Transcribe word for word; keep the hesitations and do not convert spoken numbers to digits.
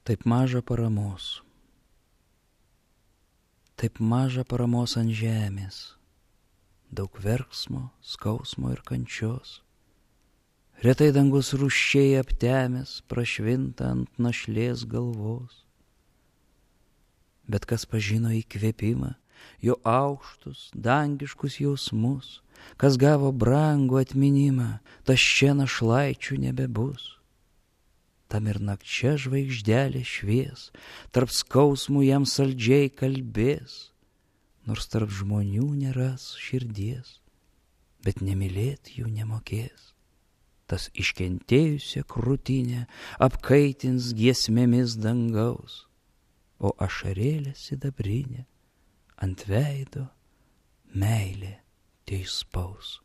Taip maža paramos, taip maža paramos ant žemės, daug verksmo, skausmo ir kančios. Retai dangus rūsčiai aptemęs prašvinta ant našlės galvos. Bet kas pažino įkvėpimą, jo aukštus, dangiškus jausmus, kas gavo brangų atminimą, tas čia našlaičių nebebus. Tam ir nakčia žvaigždelė švies, tarp skausmų jam saldžiai kalbės, nors tarp žmonių neras širdies, bet nemylėt jų nemokės. Tas iškentėjusią krūtinę apkaitins giesmėmis dangaus, o ašarėlė sidabrinė ant veido meilė teispaus.